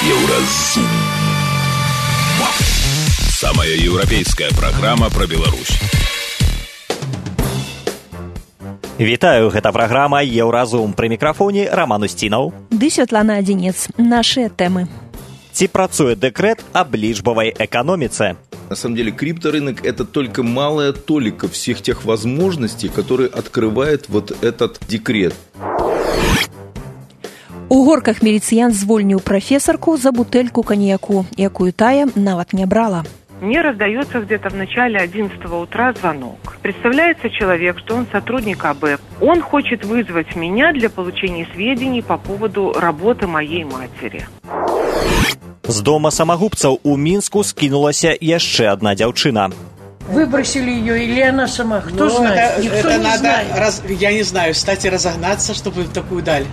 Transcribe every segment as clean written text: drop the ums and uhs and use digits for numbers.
Еўразум. Самая еўрапейская праграма пра Беларусь. Вітаю, гэта праграма «Еўразум». Пры мікрафоне Роман Устинов. Ды Святлана Адзінец. Нашыя тэмы. Ці працуе дэкрэт аб лічбавай эканоміцы? На самом деле крипторынок – это только малая толика всех тех возможностей, которые открывает вот этот декрет. У Горках міліцыянт звольніў прафесарку за бутэльку коньяку, якую тая нават не брала. Мне раздается где-то в начале 11 утра звонок. Представляется человек, что он сотрудник АБЭП. Он хочет вызвать меня для получения сведений по поводу работы моей матери. З дома самагубцаў у Мінску скінулася яшчэ одна дзяўчына. Выбросили ее или она сама? Кто знает? Никто это не надо, знает. я не знаю, кстати, разогнаться, чтобы такую дали.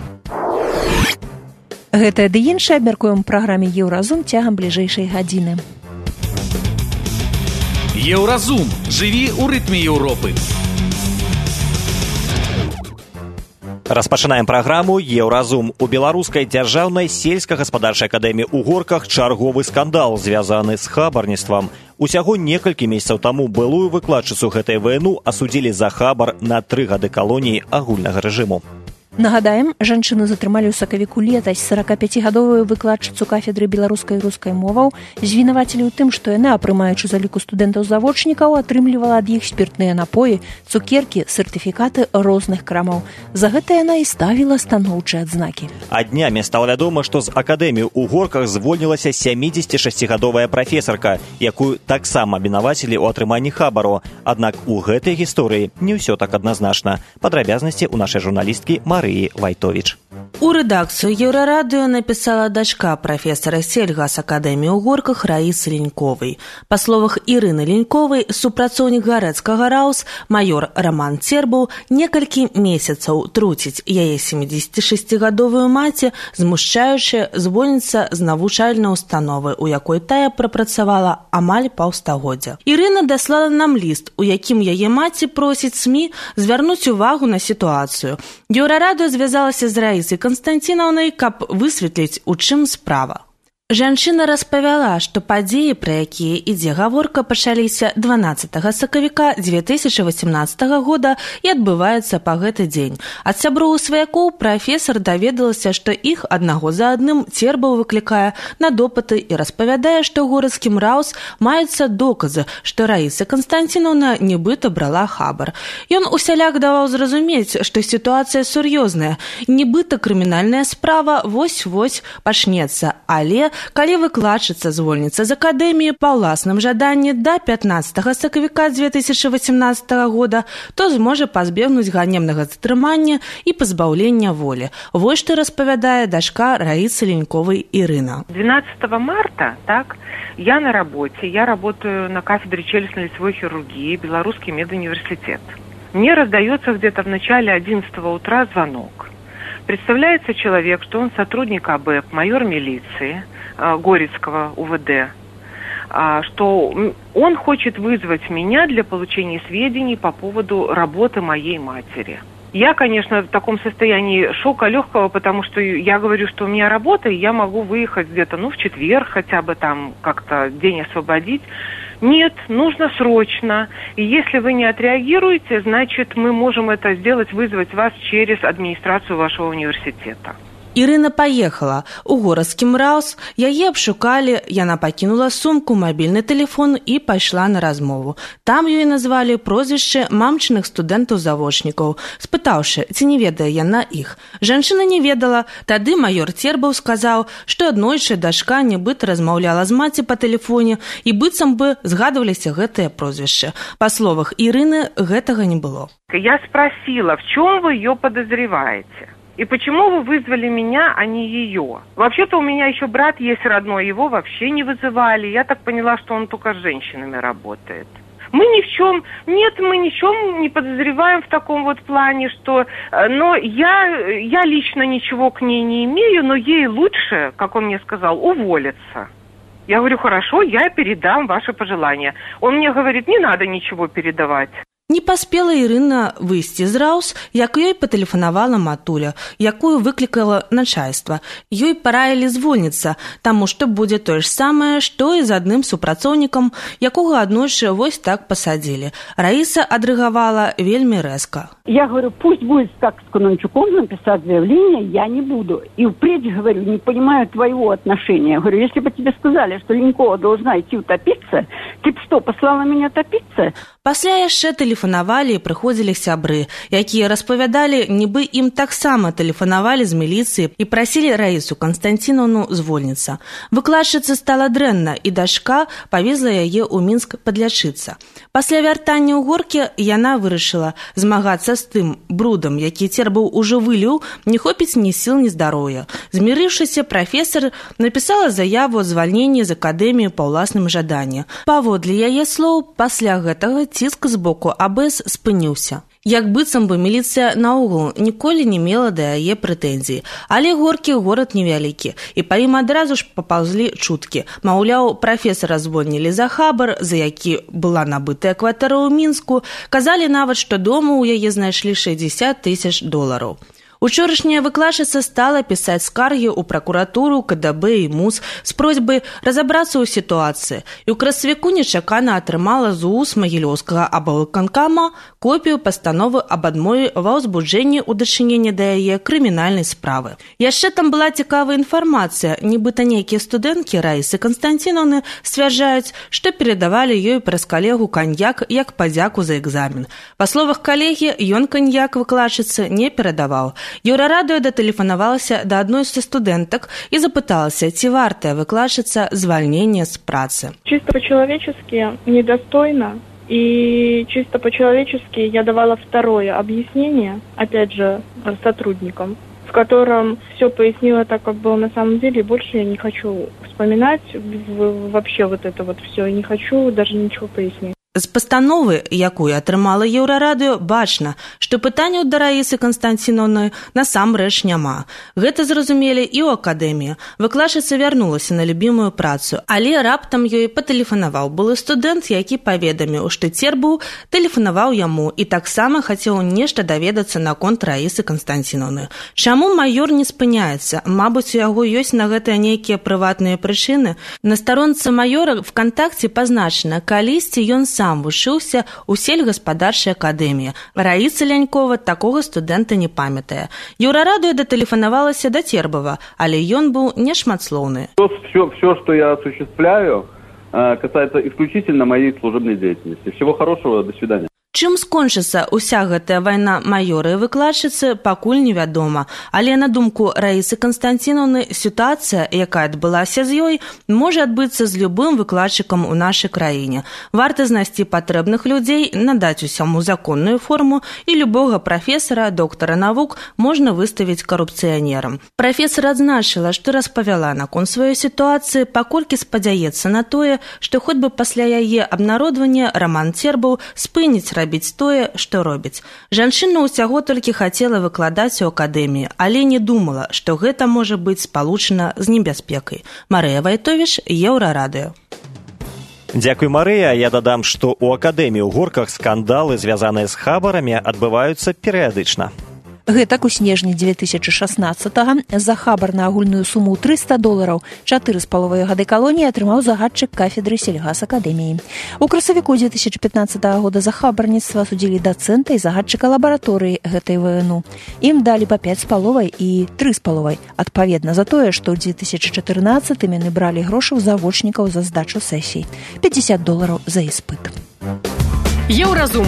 Гэтае ды іншае абмяркуем у праграме «Еўразум» цягам бліжэйшай гадзіны. Еўразум. Жыві ў рытме Еўропы. Распачынаем праграму «Еўразум». У Беларускай дзяржаўнай сельскагаспадарчай акадэміі ў Горках чарговы скандал, звязаны з хабарніцтвам. Усяго некалькі месяцаў таму былую выкладчыцу гэтай ВНУ асудзілі за хабар на 3 гады калоніі агульнага рэжыму. Нагадаем, жанчыну затрымалі ў сакавіку летась. 45гадовую выкладчыцу кафедры беларускай і рускай моваў звінавацілі ў тым, што яна, прымаючы заліку студэнтаў-завочнікаў, атрымлівала ад іх спіртныя напоі, цукеркі, сертыфікаты розных крамаў. За гэта яна і ставіла станоўчыя адзнакі. А днямі стала вядома, што з акадэміі ў Горках звольнілася 76гадовая прафесарка, якую таксама абвінавацілі ў атрыманні хабару. Аднак у гэтай гісторыі не ўсё так адназначна. Падрабязнасці ў нашай журналісткі Марыі Вайтовіч. У рэдакцыю Еўрарадыё напісала дачка прафесара сельгасакадэміі ў Горках Раісы Леньковай. Па словах Ірыны Леньковай, супрацоўнік гарэцкага РАУС майор Роман Цербаў некалькі месяцаў труціць яе 76гадовую маці, змушчаючы звольніцца з навучальнай установы, у якой тая прапрацавала амаль паўстагоддзя. Ірына даслала нам ліст, у якім яе маці просіць СМІ звярнуць увагу на сітуацыю. Еўрарадыё звязалася з Раісай Канстанцінаўнай, каб высветліць, у чым справа. Жанчына распавяла, што падзеі, пра якія ідзе гаворка, пачаліся 12 сакавіка 2018 года і адбываюцца па гэты дзень. Ад сяброў сваякоў прафесар даведалася, што іх аднаго за адным Цербаў выклікае на допыты і распавядае, што ў горадскім РАУС маюцца доказы, што Раіса Канстанцінаўна нібыта брала хабар. Ён усяляк даваў зразумець, што сітуацыя сур'ёзная, нібыта крымінальная справа вось-вось пачнецца, але калі выкладчыца звольніцца з акадэміі па ўласным жаданні да 15 сакавіка 2018 года, то зможа пазбегнуць ганебнага затрымання і пазбаўлення волі. Вось што распавядае дачка Раісы Леньковай Ірына. 12 марта, так, я на работе, я работаю на кафедре челюстно-лицевой хирургии, Белорусский медуниверситет. Мне раздается где-то в начале 11 утра звонок. Представляется человек, что он сотрудник АБЭП, майор милиции Горецкого УВД, что он хочет вызвать меня для получения сведений по поводу работы моей матери. Я, конечно, в таком состоянии шока легкого, потому что я говорю, что у меня работа, и я могу выехать где-то, в четверг хотя бы там как-то день освободить. Нет, нужно срочно. И если вы не отреагируете, значит, мы можем это сделать, вызвать вас через администрацию вашего университета. Ірына паехала. У горадскім РАУС яе абшукалі, яна пакінула сумку, мабільны тэлефон і пайшла на размову. Там ёй назвалі прозвішчы мамчыных студэнтаў-завочнікаў, спытаўшы, ці не ведае яна іх. Жанчына не ведала. Тады майор Цербаў сказаў, што аднойчы дачка нібыта размаўляла з маці па тэлефоне і быццам бы згадваліся гэтыя прозвішчы. Па словах Ірыны, гэтага не было. Я спросила, в чем вы ее подозреваете? И почему вы вызвали меня, а не ее? Вообще-то у меня еще брат есть родной, его вообще не вызывали. Я так поняла, что он только с женщинами работает. Мы ни в чем не подозреваем в таком вот плане, что... Но я лично ничего к ней не имею, но ей лучше, как он мне сказал, уволиться. Я говорю, хорошо, я передам ваши пожелания. Он мне говорит, не надо ничего передавать. Не паспела Ірына выйсці з Раус, як ёй патэлефанавала матуля, якую выклікала начальства. Ёй параілі звольніцца, таму што будзе тое ж самае, што і з адным супрацоўнікам, якога аднойчы вось так пасадзілі. Раіса адрэагавала вельмі рэзка. Я говорю, пусть будет как с Конончуком написать заявление, я не буду. И впредь, говорю, не понимаю твоего отношения. Я говорю, если бы тебе сказали, что Ленькова должна идти утопиться, ты бы что, послала меня топиться? Пасля яшчэ тэлефанавалі і прыходзілі сябры, якія распавядалі, нібы ім таксама тэлефанавалі з міліцыі і прасілі Раісу Канстанціновну звольніцца. Выкладчыцы стала дрэнна, і дачка павезла яе ў Мінск падлячыцца. Пасля вяртання ў Горкі яна вырашыла змагацца з тым брудам, які Цербаў ужо выліў, не хопіць ні сіл, ні здароўя. Змірыўшыся, прафесар напісала заяву о звальненні з акадэміі па ўласным жаданні. Паводле яе слоў, пасля гэтага ціск з боку АБС спыніўся. Як быццам бы міліцыя наогул ніколі не мела да яе прэтэнзій. Але Горкі горад невялікі, і па ім адразу ж папаўзлі чуткі. Маўляў, прафесара звольнілі за хабар, за які была набытая кватэра ў Мінску. Казалі нават, што дома ў яе знайшлі $60 000. Учорашняя выкладчыца стала пісаць скаргі ў пракуратуру, КДБ і МУС з просьбай разабрацца ў сітуацыі. І ў красавіку нечакана атрымала з уст Магілёўскага аблвыканкама копію пастановы аб адмове ва ўзбуджэнні ў дачыненні да яе крымінальнай справы. Яшчэ там была цікавая інфармацыя, нібыта нейкія студэнткі Раісы Канстанціновны сцвярджаюць, што перадавалі ёй праз калегу каньяк як падзяку за экзамен. Па словах калегі, ён каньяк выкладчыцы не перадаваў. Еўрарадыё датэлефанавалася да адной са студэнтак і запыталася, ці вартая выкладчыца звальнення з працы. Чисто по-человечески недостойно, и чисто по-человечески я давала второе объяснение, опять же, сотрудникам, в котором все пояснила так, как было на самом деле, и больше я не хочу вспоминать вообще вот это вот все, не хочу даже ничего пояснить. З пастановы, якую атрымала Еўрарадыё, бачна, што пытанняў да Раісы Канстанціновны насамрэч няма. Гэта зразумелі і ў акадэміі. Выкладчыца вярнулася на любімую працу, але раптам ёй патэлефанаваў былы студэнт, які паведаміў, што Цербаў тэлефанаваў яму і таксама хацеў нешта даведацца наконт Раісы Канстанціновны. Чаму маёр не спыняецца? Мабыць, у яго ёсць на гэта нейкія прыватныя прычыны. На старонцы маёра ВКонтакце пазначана, калісьці ён сам вучыўся ў сельгаспадарчай акадэміі. Раіса Лянькова такога студэнта не памятае. Еўрарадыё датэлефанавалася да Цербава, але ён быў нешматслоўны. Все, что я осуществляю, касается исключительно моей служебной деятельности. Всего хорошего, до свидания. Чым скончыцца ўся гэтая вайна маёра і выкладчыцы, пакуль невядома. Але на думку Раісы Канстанціновны, сітуацыя, якая адбылася з ёй, можа адбыцца з любым выкладчыкам у нашай краіне. Варта знайсці патрэбных людзей, надаць усяму законную форму, і любога прафесара, доктара навук можна выставіць карупцыянерам. Прафесар адзначыла, што распавяла наконт сваёй сітуацыі, паколькі спадзяецца на тое, што хоць бы пасля яе абнародвання Роман Цербаў спыніць рабіць тое, што робіць. Жанчына ўсяго толькі хацела выкладаць у акадэміі, але не думала, што гэта можа быць спалучана з небяспекай. Марыя Вайтовіч, Еўрарадыё. Дзякуй, Марыя. Я дадам, што ў акадэміі ў Горках скандалы, звязаныя з хабарамі, адбываюцца перыядычна. Гэтак у снежні 2016-го за хабар на агульную суму $300 4,5 гады калоніі атрымаў загадчык кафедры сельгасакадэміі. У красавіку 2015 года за хабарніцтва судзілі дацэнта і загадчыка лабараторыі гэтай ВНУ. Ім далі па 5,5 і 3,5, адпаведна за тое, што ў 2014-м яны бралі грошы ў завочнікаў за здачу сесій. $50 за іспыт. Еўразум.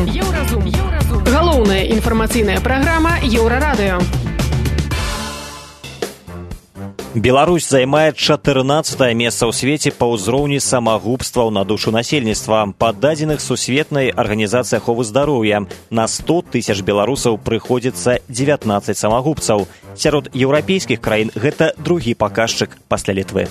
Галоўная інфармацыйная праграма Еўрарадыё. Беларусь займае 14-е месца ў свеце па ўзроўні самагубстваў на душу насельніцтва. Па дадзеных Сусветнай арганізацыі аховы здароўя на 100 000 беларусаў прыходзіцца 19 самагубцаў. Сярод еўрапейскіх краін гэта другі паказчык пасля Літвы.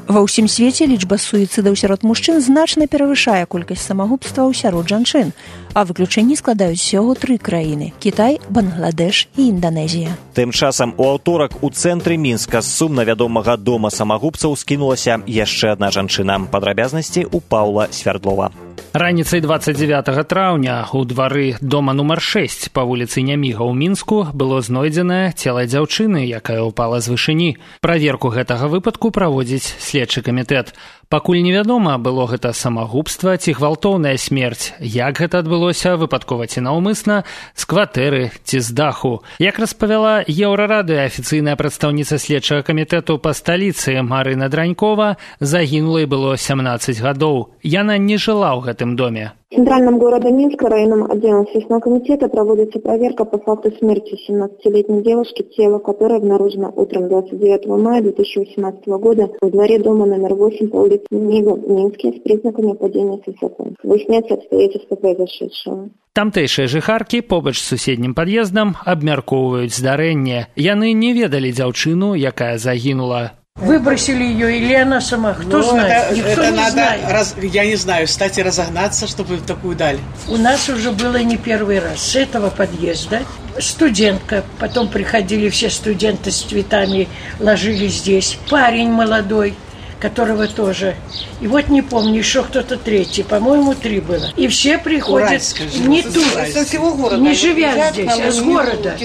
Ва ўсім свеце лічба суіцыдаў сярод мужчын значна перавышае колькасць самагубстваў сярод жанчын, а выключэнні складаюць усяго 3 краіны – Кітай, Бангладеш і Інданезія. Тым часам у аўторак у цэнтры Мінска з сумна вядомага дома самагубцаў скінулася яшчэ адна жанчына. Падрабязнасці у Паўла Свярдлова. Раніцай 29 траўня у двары дома нумар 6 па вуліцы Няміга ў Мінску было знойдзенае цела дзяўчыны, якая ўпала з вышыні. Праверку гэтага выпадку праводзіць следчы камітэт. Пакуль невядома, было гэта самагубства ці гвалтоўная смерць. Як гэта адбылося, выпадкова ці наўмысна, з кватэры ці з даху. Як распавяла Еўрарадыё афіцыйная прадстаўніца следчага камітэту па сталіцы Марына Дранькова, загінулай было 17 гадоў. Яна не жыла ў гэтым доме. В центральном городе Минска районным отделом Следственного комитета проводится проверка по факту смерти 17-летней девушки, тело которой обнаружено утром 29 мая 2018 года в дворе дома номер 8 по улице Няміга в Минске с признаками падения с высоты. Выясняются обстоятельства произошедшего. Тамтэйшыя жыхаркі побач з суседнім пад'ездам абмяркоўваюць здарэнне. Яны не ведалі дзяўчыну, якая загінула. Выбросили ее или она сама? Кто знает? Никто это не надо, знает. Я не знаю, кстати, разогнаться, чтобы в такую даль. У нас уже было не первый раз. С этого подъезда студентка, потом приходили все студенты с цветами, ложили здесь. Парень молодой, которого тоже. И вот не помню, еще кто-то третий, по-моему, 3 было. И все приходят не тут, не живя здесь, а с города.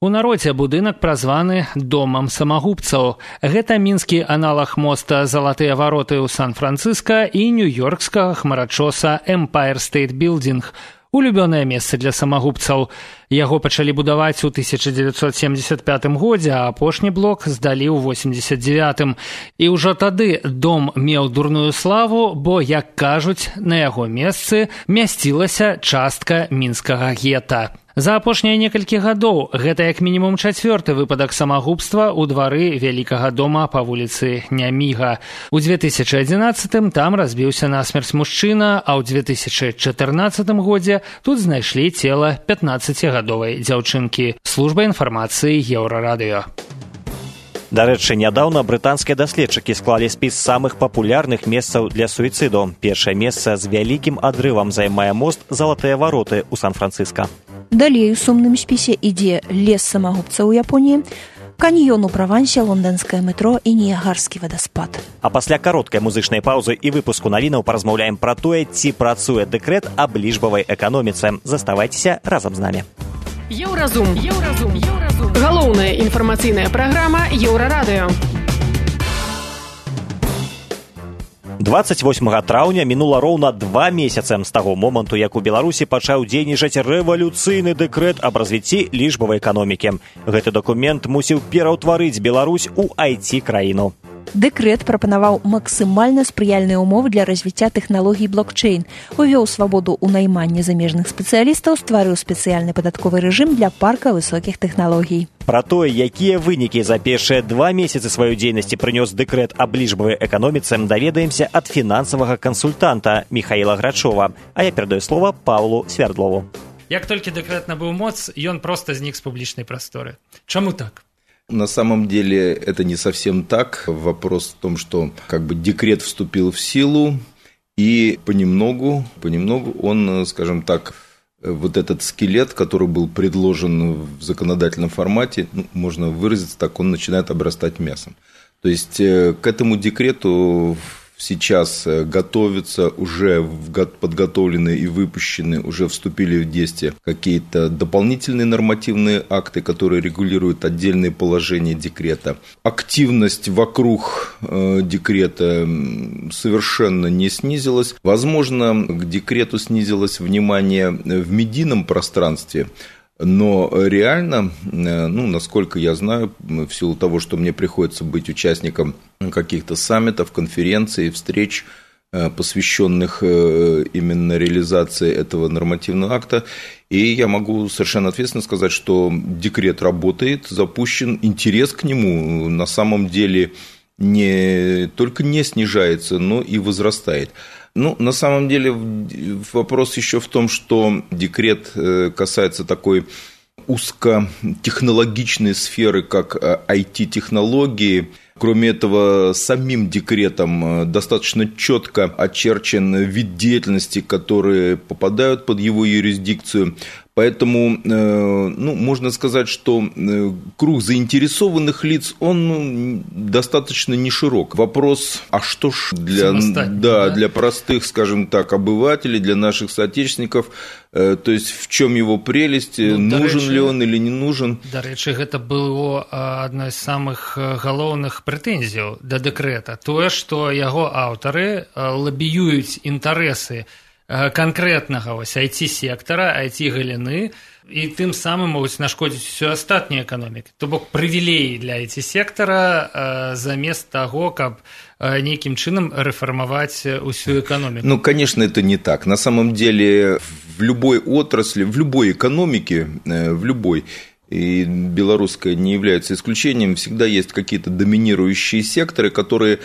У народзе будынак празваны домам самагубцаў. Гэта мінскі аналаг моста «Залатыя вароты» ў Сан-Францыска і нью-йоркскага хмарачоса «Empire State Building». Улюбёнае месца для самагубцаў. Яго пачалі будаваць у 1975 годзе, а апошні блок здалі ў 89-м. І ўжо тады дом меў дурную славу, бо, як кажуць, на яго месцы мясцілася частка мінскага гета. За апошнія некалькі гадоў гэта як мінімум 4-ы выпадак самагубства ў двары вялікага дома па вуліцы Няміга. У 2011-м там разбіўся насмерць мужчына, а ў 2014 годзе тут знайшлі цела 15-гадовай дзяўчынкі. Служба інфармацыі Еўрарадыё. Дарэчы, нядаўна брытанскія даследчыкі склалі спіс самых папулярных месцаў для суіцыду. Першае месца з вялікім адрывам займае мост «Залатыя вароты» ў Сан-Францыска. Далей у сумным спісе ідзе лес самагубцаў у Японіі, каньён у Правансе, лонданскае метро і Ніягарскі вадаспад. А пасля кароткай музычнай паўзы і выпуску навінаў паразмаўляем пра тое, ці працуе дэкрэт аб лічбавай эканоміцы. Заставайцеся разам з намі. Еўразум. Галоўная інфармацыйная праграма Еўрарадыё. 28 траўня мінула роўна 2 месяцы з таго моманту, як у Беларусі пачаў дзейнічаць рэвалюцыйны дэкрэт аб развіцці лічбавай эканомікі. Гэты дакумент мусіў пераўтварыць Беларусь у IT-краіну. Дэкрэт прапанаваў максімальна спрыяльныя ўмовы для развіцця тэхналогій блокчейн, увёў свабоду ў найманні замежных спецыялістаў, стварыў спецыяльны падатковы рэжым для парка высокіх тэхналогій. Пра тое, якія вынікі за першыя 2 месяцы сваёй дзейнасці прынёс дэкрэт аб лічбавай эканоміцы, даведаемся ад фінансавага кансультанта Михаіла Грачова. А я перадаю слова Паўлу Свярдлову. Як толькі дэкрэт набыў моц, ён проста знік з публічнай прасторы. Чаму так? На самом деле это не совсем так. Вопрос в том, что декрет вступил в силу, и понемногу он, скажем так, вот этот скелет, который был предложен в законодательном формате, можно выразиться так, он начинает обрастать мясом. То есть к этому декрету сейчас готовятся, уже подготовлены и выпущены, уже вступили в действие какие-то дополнительные нормативные акты, которые регулируют отдельные положения декрета. Активность вокруг декрета совершенно не снизилась. Возможно, к декрету снизилось внимание в медийном пространстве, но реально, насколько я знаю, в силу того, что мне приходится быть участником каких-то саммитов, конференций, встреч, посвященных именно реализации этого нормативного акта, и я могу совершенно ответственно сказать, что декрет работает, запущен, интерес к нему на самом деле не только не снижается, но и возрастает. На самом деле вопрос еще в том, что декрет касается такой узкотехнологичной сферы, как IT-технологии. Кроме этого, самим декретом достаточно четко очерчен вид деятельности, которые попадают под его юрисдикцию. Поэтому, можно сказать, что круг заинтересованных лиц, он достаточно не широк. Вопрос, а что ж для простых, скажем так, обывателей, для наших соотечественников, то есть в чем его прелесть, нужен ли он или не нужен? До речі, гэта было одной из самых галоўных прэтэнзіяў да дэкрэта. Тое, што яго аўтары лабіююць інтарэсы конкретнага IT-сектора, IT-галіны, і тым самым могуць нашкодзіць усё астатняй эканомікі. То бок прывілеі для IT-сектора замест таго, каб нейкім чынам рэфармаваць усю эканоміку. Конечно, это не так. На самом деле в любой отрасли, в любой экономике, в любой, и белорусская не является исключением, всегда есть какие-то доминирующие секторы, которые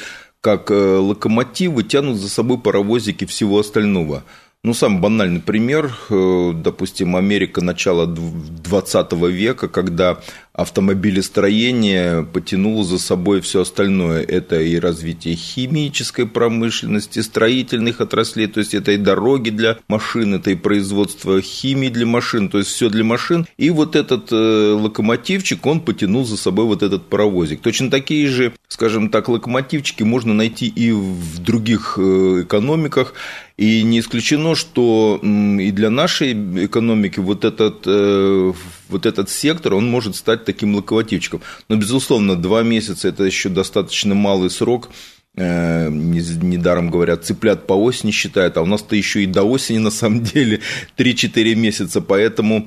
как локомотивы тянут за собой паровозики всего остального. Самый банальный пример, допустим, Америка начала 20 века, когда автомобилестроение потянуло за собой все остальное. Это и развитие химической промышленности, строительных отраслей, то есть это и дороги для машин, это и производство химии для машин, то есть все для машин. И вот этот локомотивчик, он потянул за собой вот этот паровозик. Точно такие же, скажем так, локомотивчики можно найти и в других экономиках. И не исключено, что и для нашей экономики вот этот сектор, он может стать таким локомотивчиком. Но, безусловно, 2 месяца – это еще достаточно малый срок. Недаром говорят, цыплят по осени считают, а у нас-то еще и до осени, на самом деле, 3-4 месяца. Поэтому,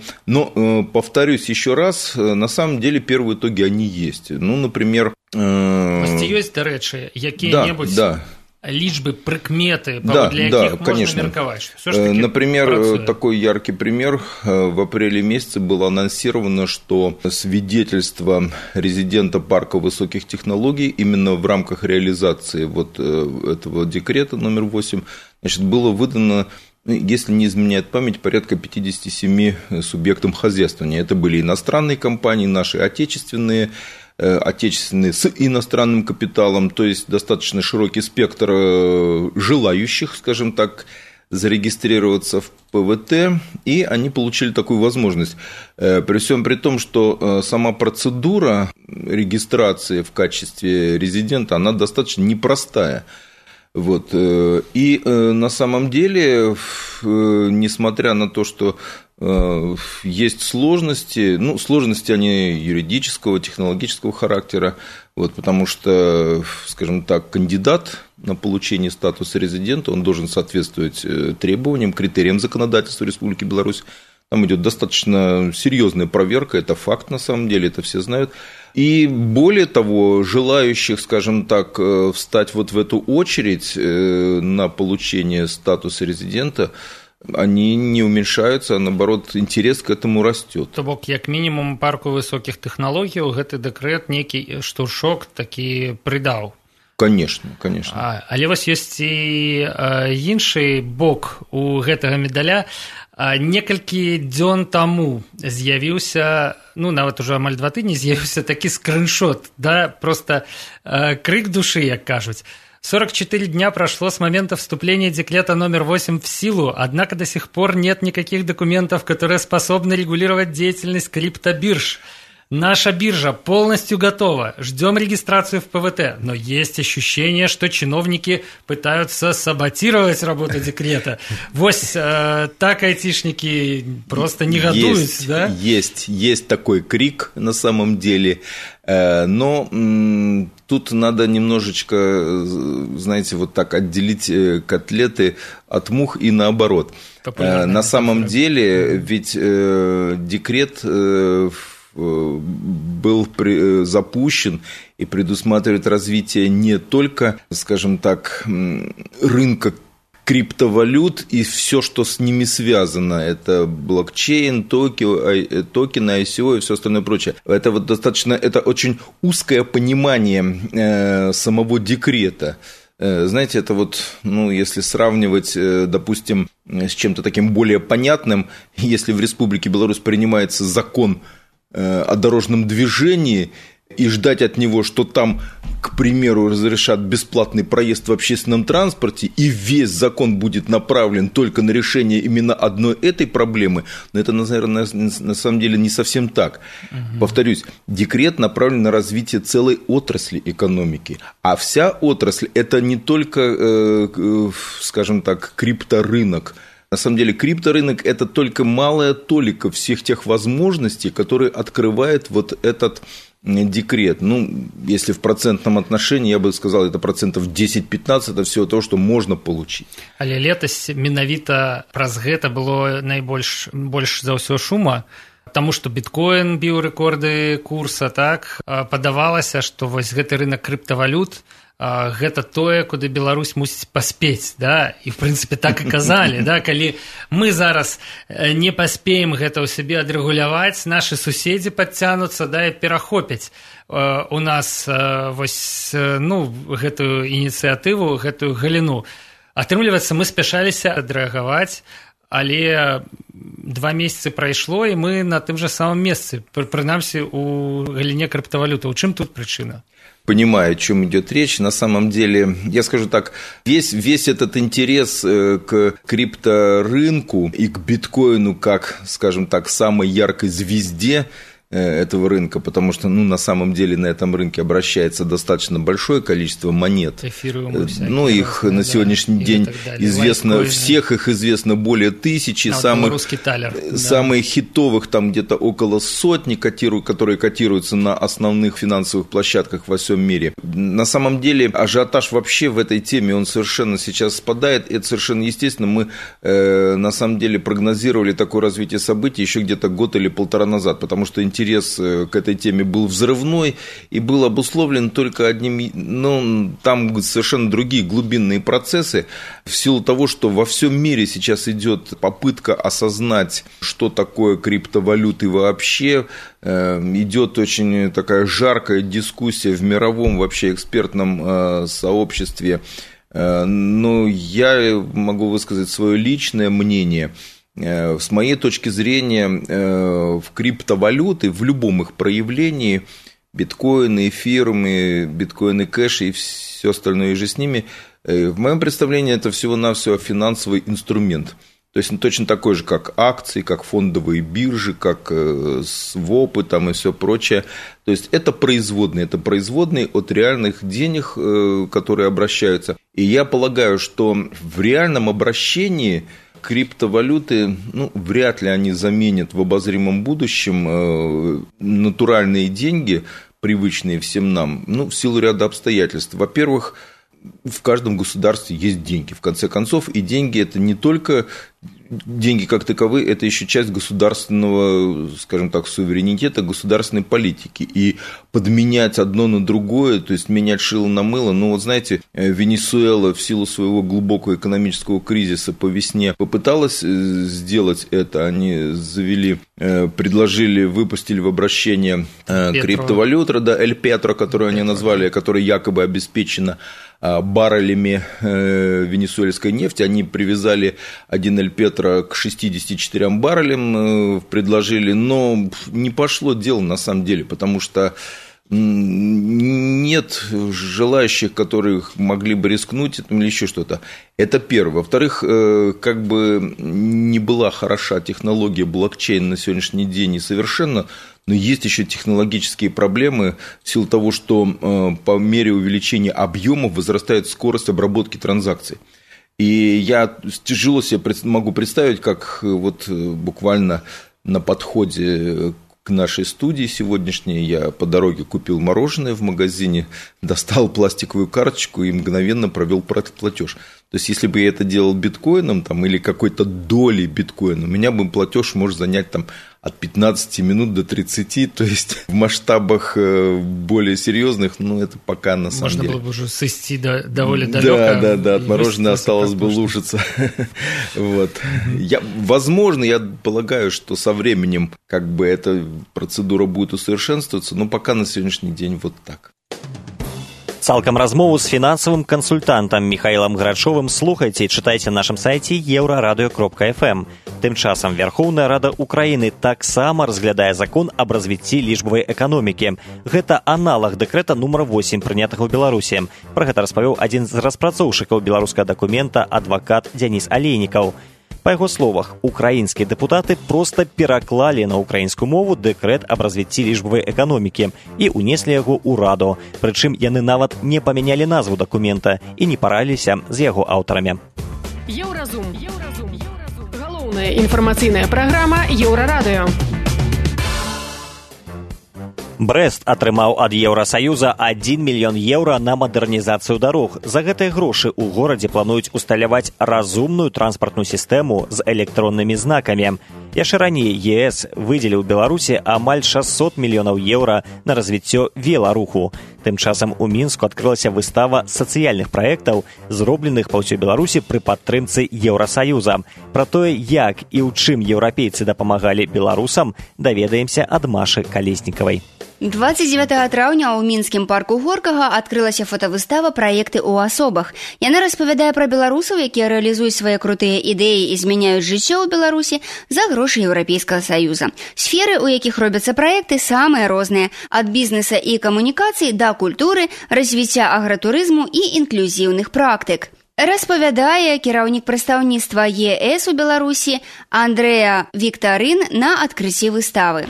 повторюсь еще раз, на самом деле первые итоги, они есть. Например… Есть, до речі, які-небудь… лічбы, прыкметы, для якіх можно меркаваць? Например, такой яркий пример. В апреле месяце было анонсировано, что свидетельство резидента парка высоких технологий именно в рамках реализации вот этого декрета номер 8, было выдано, если не изменяет память, порядка 57 субъектам хозяйствования. Это были иностранные компании, наши отечественные с иностранным капиталом, то есть достаточно широкий спектр желающих, скажем так, зарегистрироваться в ПВТ, и они получили такую возможность. При всем при том, что сама процедура регистрации в качестве резидента, она достаточно непростая. И на самом деле, несмотря на то, что есть сложности, сложности они юридического, технологического характера, потому что, скажем так, кандидат на получение статуса резидента, он должен соответствовать требованиям, критериям законодательства Республики Беларусь. Там идет достаточно серьезная проверка, это факт на самом деле, это все знают. И более того, желающих, скажем так, встать в эту очередь на получение статуса резидента, они не уменьшаются, а наоборот, интерес к этому растет. То бок, як мінімум, парку высоких тэхналогій гэты дэкрэт нейкі штуршок такі прыдаў. Конечно. Але ёсць і іншы бок у гэтага медаля. Некалькі дзён таму з'явіўся, нават ужо амаль 2 тыдні, з'явіўся такі скриншот, просто крик души, як кажуць. 44 дня прошло с момента вступления декрета номер 8 в силу, однако до сих пор нет никаких документов, которые способны регулировать деятельность криптобирж. Наша биржа полностью готова, ждем регистрацию в ПВТ, но есть ощущение, что чиновники пытаются саботировать работу декрета. Так айтишники просто негодуют, да? Есть такой крик на самом деле, но тут надо немножечко, знаете, так отделить котлеты от мух и наоборот. На самом деле, ведь декрет был запущен и предусматривает развитие не только, скажем так, рынка криптовалют и все, что с ними связано. Это блокчейн, токены, ICO и все остальное прочее. Это достаточно, это очень узкое понимание самого декрета. Знаете, это если сравнивать, допустим, с чем-то таким более понятным, если в Республике Беларусь принимается закон о дорожном движении, и ждать от него, что там, к примеру, разрешат бесплатный проезд в общественном транспорте, и весь закон будет направлен только на решение именно одной этой проблемы, но это, наверное, на самом деле не совсем так. Повторюсь, декрет направлен на развитие целой отрасли экономики, а вся отрасль – это не только, скажем так, крипторынок. На самом деле крипторынок – это только малая толика всех тех возможностей, которые открывает вот этот декрет. Ну, если в процентном отношении, я бы сказал, это 10-15% это всего того, что можно получить. Але летась менавіта праз гэта было больш за ўсё шума, таму што біткоін біў рэкорды курса, так, падавалася, што вось гэты рынок крыптавалют гэта тое, куды Беларусь мусіць паспець, да? І в прынцыпе так і казалі, да? Калі мы зараз не паспеем гэта ў сябе адрэгуляваць, нашы суседзі падцянуцца, да, і перахопяць у нас вось, ну, гэтую ініцыятыву, гэтую галіну. Атрымліваецца, мы спяшаліся адрэагаваць, але 2 месяцы прайшло, і мы на тым жа самым месцы, прынамсі у галіне крыптавалюты. У чым тут прычына? Понимаю, о чем идет речь. На самом деле, я скажу так, весь этот интерес к крипторынку и к биткоину как, скажем так, самой яркой звезде этого рынка, потому что, ну, на самом деле на этом рынке обращается достаточно большое количество монет. Эфириумы всякие. Ну, их на сегодняшний день известно, лайткоины. Всех их известно более 1000. Самых хитовых там где-то около 100, которые котируются на основных финансовых площадках во всем мире. На самом деле ажиотаж вообще в этой теме, он совершенно сейчас спадает, и это совершенно естественно. Мы на самом деле прогнозировали такое развитие событий еще где-то год или полтора назад, потому что интерес к этой теме был взрывной и был обусловлен только одним, ну, там совершенно другие глубинные процессы, в силу того, что во всем мире сейчас идет попытка осознать, что такое криптовалюты вообще, идет очень такая жаркая дискуссия в мировом вообще экспертном сообществе. Но я могу высказать свое личное мнение. С моей точки зрения, в криптовалюты, в любом их проявлении, биткоины, эфириумы, биткоины кэши и все остальное же с ними, в моем представлении это всего-навсего финансовый инструмент. То есть точно такой же, как акции, как фондовые биржи, как свопы там и все прочее. То есть это производные от реальных денег, которые обращаются. И я полагаю, что в реальном обращении криптовалюты, ну, вряд ли они заменят в обозримом будущем натуральные деньги, привычные всем нам, ну, в силу ряда обстоятельств. Во-первых, в каждом государстве есть деньги, в конце концов, и деньги – это не только деньги как таковые, это еще часть государственного, скажем так, суверенитета, государственной политики. И подменять одно на другое, то есть менять шило на мыло, ну вот знаете, Венесуэла в силу своего глубокого экономического кризиса по весне попыталась сделать это, они выпустили в обращение криптовалюту, да, Эль Петро, которую они назвали, которая якобы обеспечена баррелями венесуэльской нефти, они привязали 1 Эль Петро к 64 баррелям, предложили, но не пошло дело на самом деле, потому что нет желающих, которых могли бы рискнуть или еще что-то. Это первое. Во-вторых, как бы не была хороша технология блокчейн на сегодняшний день и совершенно, но есть еще технологические проблемы в силу того, что по мере увеличения объемов возрастает скорость обработки транзакций. И я тяжело себе могу представить, как вот буквально на подходе к нашей студии сегодняшней я по дороге купил мороженое в магазине, достал пластиковую карточку и мгновенно провел платеж. То есть, если бы я это делал биткоином там, или какой-то долей биткоина, у меня бы платеж может занять там, от 15 минут до 30, то есть в масштабах более серьезных, ну, это пока на самом деле. Можно было бы уже сойти довольно далеко. Да, от мороженого осталось бы лужиться. Вот. Возможно, я полагаю, что со временем как бы эта процедура будет усовершенствоваться, но пока на сегодняшний день вот так. Цалкам размову з фінансавым кансультантам Михаилом Грачовым слухайце і чытайце на нашым сайце еўрарадыё.фм. Тым часам Верховная Рада Украіны таксама разглядае закон аб развіцці лічбавай эканомікі. Гэта аналаг дэкрэта нумар 8, прынятага ў Беларусі. Пра гэта распавёў адзін з распрацоўшчыкаў беларускага дакумента адвакат Дзяніс Алейнікаў. Па яго словах, украінскія дэпутаты проста пераклалі на украінскую мову дэкрэт аб развіцці лічбавай эканомікі і ўнеслі яго ў Раду. Прычым яны нават не памянялі назву дакумента і не параліліся з яго аўтарамі. Еўразум. Галоўная інфармацыйная праграма Еўрарадыё. Брэст атрымаў ад Еўрасаюза 1 мільён еўра на мадэрнізацыю дарог. За гэтыя грошы ў горадзе плануюць усталяваць разумную транспартную сістэму з электроннымі знакамі. Яшчэ раней ЕС выдзеліў Беларусі амаль 600 мільёнаў еўра на развіццё веларуху. Тым часам у Мінску адкрылася выстава сацыяльных праектаў, зробленых па ўсёй Беларусі пры падтрымцы Еўрасаюза. Пра тое, як і ў чым еўрапейцы дапамагалі беларусам, даведаемся ад Машы Калеснікавай. 29 траўня ў мінскім парку Горкага адкрылася фотавыстава «Праекты ў асобах». Яна распавядае пра беларусаў, якія рэалізуюць свае крутыя ідэі і змяняюць жыццё ў Беларусі за грошы Еўрапейскага Саюза. Сферы, у якіх робяцца праекты, самыя розныя, ад бізнеса і камунікацый да культуры, развіцця агратурызму і інклюзіўных практык. Распавядае кіраўнік прадстаўніцтва ЕС у Беларусі Андрэа Віктарын на адкрыцці выставы.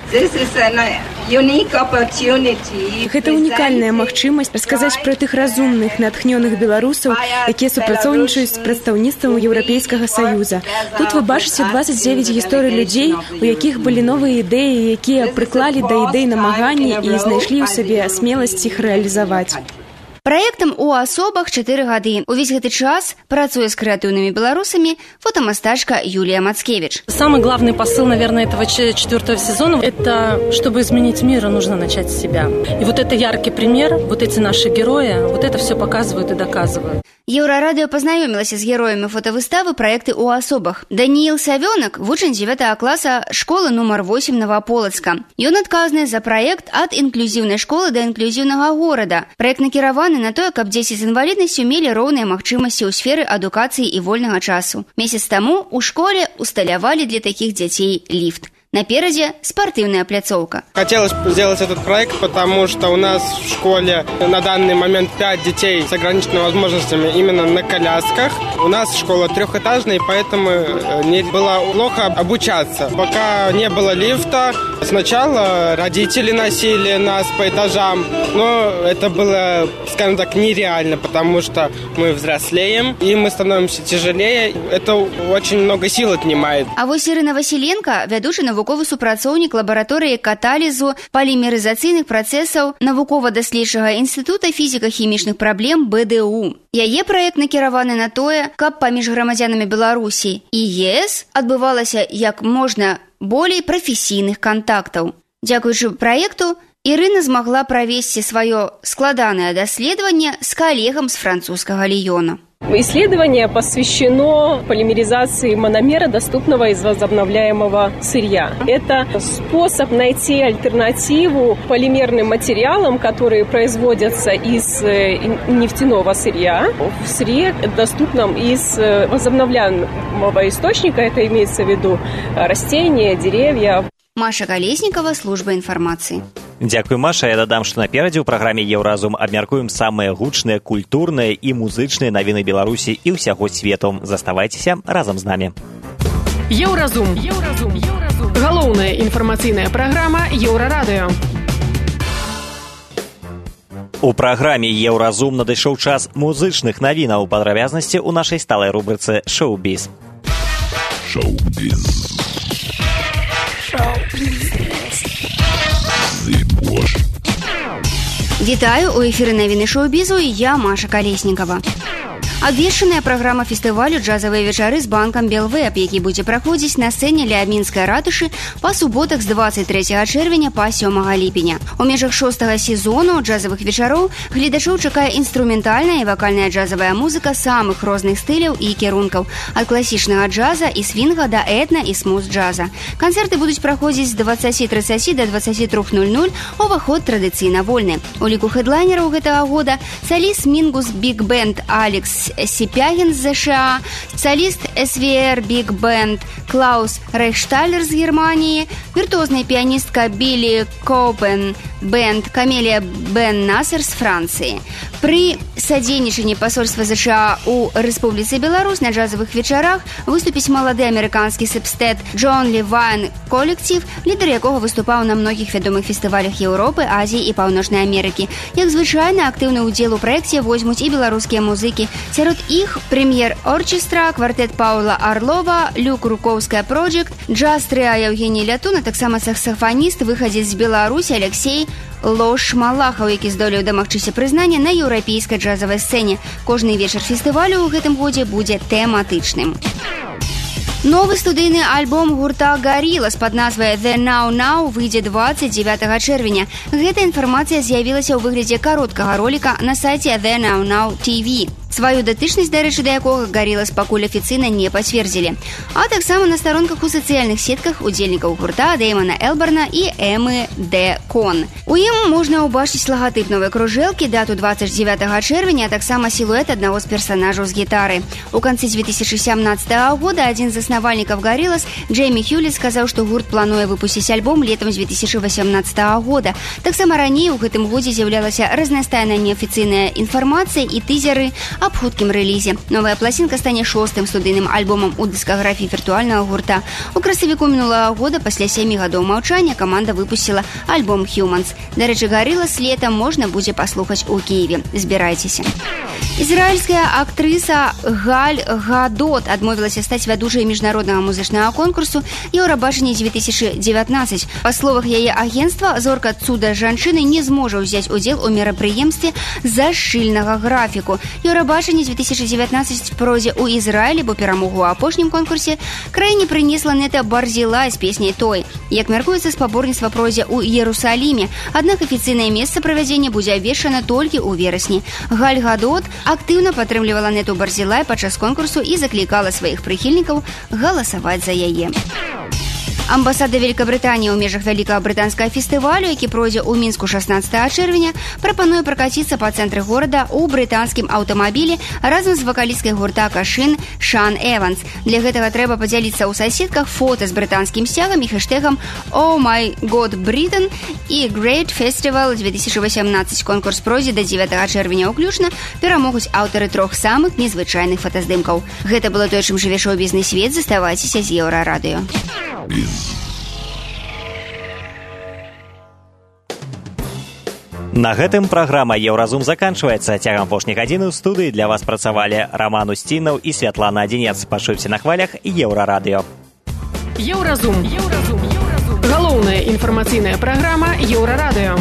Гэта унікальная магчымасць расказаць пра тых разумных, натхнёных беларусаў, якія супрацоўнічаюць з прадстаўніцтвам Еўрапейскага Саюза. Тут вы бачыце 29 гісторый людзей, у якіх былі новыя ідэі, якія прыклалі да ідэй намаганні і знайшлі ў сабе смеласць іх рэалізаваць. Праектам у асобах 4 гады. Увесь гэты час працуе с креативными белорусами фотомастачка Юлия Мацкевич. Самый главный посыл, наверное, этого 4-го сезона – это, чтобы изменить мир, нужно начать с себя. И вот это яркий пример, вот эти наши герои, вот это все показывают и доказывают. Еўрарадыё пазнаёмілася з героямі фотавыставы «Праекты ў асобах». Даніил Савёнак, вучань 9 класа школы нумар 8 Новополацка. Ён адказны за праект ад інклюзіўнай школы да інклюзіўнага горада. Праект накіраваны на тое, каб дзеці з інваліднасцю мелі роўныя магчымасці ў сферы адукацыі і вольнага часу. Месяц таму ў школе усталявалі для такіх дзяцей ліфт. Напереде спортивная пляцовка. Хотелось сделать этот проект, потому что у нас в школе на данный момент 5 детей с ограниченными возможностями именно на колясках. У нас школа трехэтажная, поэтому не было плохо обучаться. Пока не было лифта, сначала родители носили нас по этажам, но это было, скажем так, нереально, потому что мы взрослеем и мы становимся тяжелее. Это очень много сил отнимает. А вот Ирина Василенко, ведущий навуковый супрацоўнік лабараторыі каталізу полімерызацыйных працэсаў навукова-даследчага інстытута фізіка-хімічных праблем БДУ. Яе праект накіраваны на тое, каб паміж грамадзянамі Беларусі і ЕС адбывалася як можна болей прафесійных кантактаў. Дзякуючы праекту, Ірына змагла правесці сваё складанае даследаванне з калегам з французскага Ліёна. Исследование посвящено полимеризации мономера, доступного из возобновляемого сырья. Это способ найти альтернативу полимерным материалам, которые производятся из нефтяного сырья, в сырье, доступном из возобновляемого источника, это имеется в виду растения, деревья. Маша Колесникова, служба информации. Дзякуй, Маша. Я дадам, што наперадзе ў праграме «Еўразум» абмяркуем самыя гучныя, культурныя і музычныя навіны Беларусі і ўсяго свету. Заставайцеся разам з намі. Еўразум. Галоўная інфармацыйная праграма Еўрарадыё. У праграме «Еўразум» надышоў час музычных навінаў. Падрабязнасці ў нашай сталай рубрыцы «Шоу-біз». Шоу-біз. Вітаю, у эфіры навіны шоу-бізу і я, Маша Колесникова. Абвешчаная праграма фестывалю «Джазавыя вечары» з банкам «Белвэб», які будзе праходзіць на сцэне ля Мінскай ратушы па суботах з 23 чэрвеня па 7 ліпеня. У межах 6-го сезону джазавых вечароў гледачоў чакае інструментальная і вакальная джазавая музыка самых розных стыляў і кірункаў, ад класічнага джаза і свінга да этна і смуз-джаза. Канцэрты будуць праходзіць з 20:30 да 23:00, уваход традыцыйна вольны. У ліку хедлайнераў гэтага года саліст Мингус Биг Бенд Алекс Сипягин з ЗША, соліст СВР Биг Бенд Клаус Рейхшталер з Германії, віртуозная піаністка Білі Коупен Бенд Камелія Бен Насер з Францыі. Пры садзейнічанні пасольства ЗША у Рэспубліцы Беларусь на джазавых вечарах выступіць малады амерыканскі сэпстэт Джон Левайн калектыў, лідар якога выступаў на многіх вядомых фестывалях Еўропы, Азіі і Паўночнай Амерыкі. Як звычайна, актыўны ўдзел у праекце возьмуць і беларускія музыкі. Сярод іх прэм'ер-орчестра, квартэт Паўла Арлова, Люк Руковская Проджект, джаз-трыа Евгеній Лятун, а таксама саксафаніст, выхадзец з Беларусі Алексей Лош Малахаў, які здолеў дамагчыся прызнання на еўрапейскай джазавай сцэне. Кожны вечар фестывалю ў гэтым годзе будзе тэматычным. Новы студыйны альбом гурта Gorillaz пад назвай The Now Now выйдзе 29 чэрвеня. Гэта інфармацыя з'явілася ў выглядзе кароткага роліка на сайце The Now Now TV. Сваю датычнасць, дарэчы, да якога Gorillaz пакуль афіцыйна не пацвердзілі. А таксама на старонках у сацыяльных сетках удзельнікаў гурта Дэймана Элбарна і Эмы Дэ Кон. У ім можна ўбачыць лагатып новай кружэлкі, дату 29 чэрвеня, а таксама сілуэт аднаго з персанажаў з гітары. У канцы 2017 года адзін з заснавальнікаў Gorillaz, Джеймі Хьюліт, сказаў, што гурт плануе выпусціць альбом летам 2018 года. Таксама раней у гэтым годзе з'яўлялася разнастайная неафіцыйная інфармацыя і тызеры аб хуткім рэлізе. Новая пласінка стане 6-м студыйным альбомам у дыскаграфіі віртуальнага гурта. У красавіку мінулага года пасля 7 гадоў маўчання каманда выпусціла альбом Humans. Дарэчы, Gorillaz летам можна будзе паслухаць у Кіеве. Збірайцеся. Ізраільская актрыса Галь Гадот адмовілася стаць вядучай міжнароднага музычнага конкурсу Еўрабачанне 2019. Па словах яе агенцтва, зорка цуда жанчыны не зможа ўзяць удзел у мерапрыемстве з-за шчыльнага графіку. Еўрабачанне 2019 пройдзе ў Ізраілі, бо перамогу ў апошнім конкурсе краіне прынесла Нета Барзілай з песняй «Той». Як мяркуецца, спаборніцтва пройдзе ў Іерусаліме, аднак афіцыйнае месца правядзення будзе абвешчана толькі ў верасні. Галь Гадот актыўна падтрымлівала Нету Барзілай падчас конкурсу і заклікала сваіх прыхільнікаў галасаваць за яе. Амбасада Великабрытаніі ў межах вялікага брытанскага фестывалю, які пройдзе ў Мінску 16 чэрвеня, прапануе пракаціцца па цэнтры горада ў брытанскім аўтамабілі разам з вакалісткай гурта Кашын Шан Эванс. Для гэтага трэба падзяліцца ў соцсетках фота з брытанскім сцягам і хэштэгам «Oh my God Britain» і «Great Festival 2018». Конкурс пройдзе да 9 чэрвеня ўключна. Перамогуць аўтары 3 самых незвычайных фотаздымкаў. Гэта было тое, чым жыве шоу-бізнес свет. Заставайцеся з Еўрарадыё. На гэтым праграма «Еўразум» заканчваецца. Цягам апошняй гадзіны ў студыі для вас працавалі Роман Устінаў і Святлана Адзінец. Пачуйце на хвалях Еўрарадыё. Еўразум. Галоўная інфармацыйная праграма Еўрарадыё.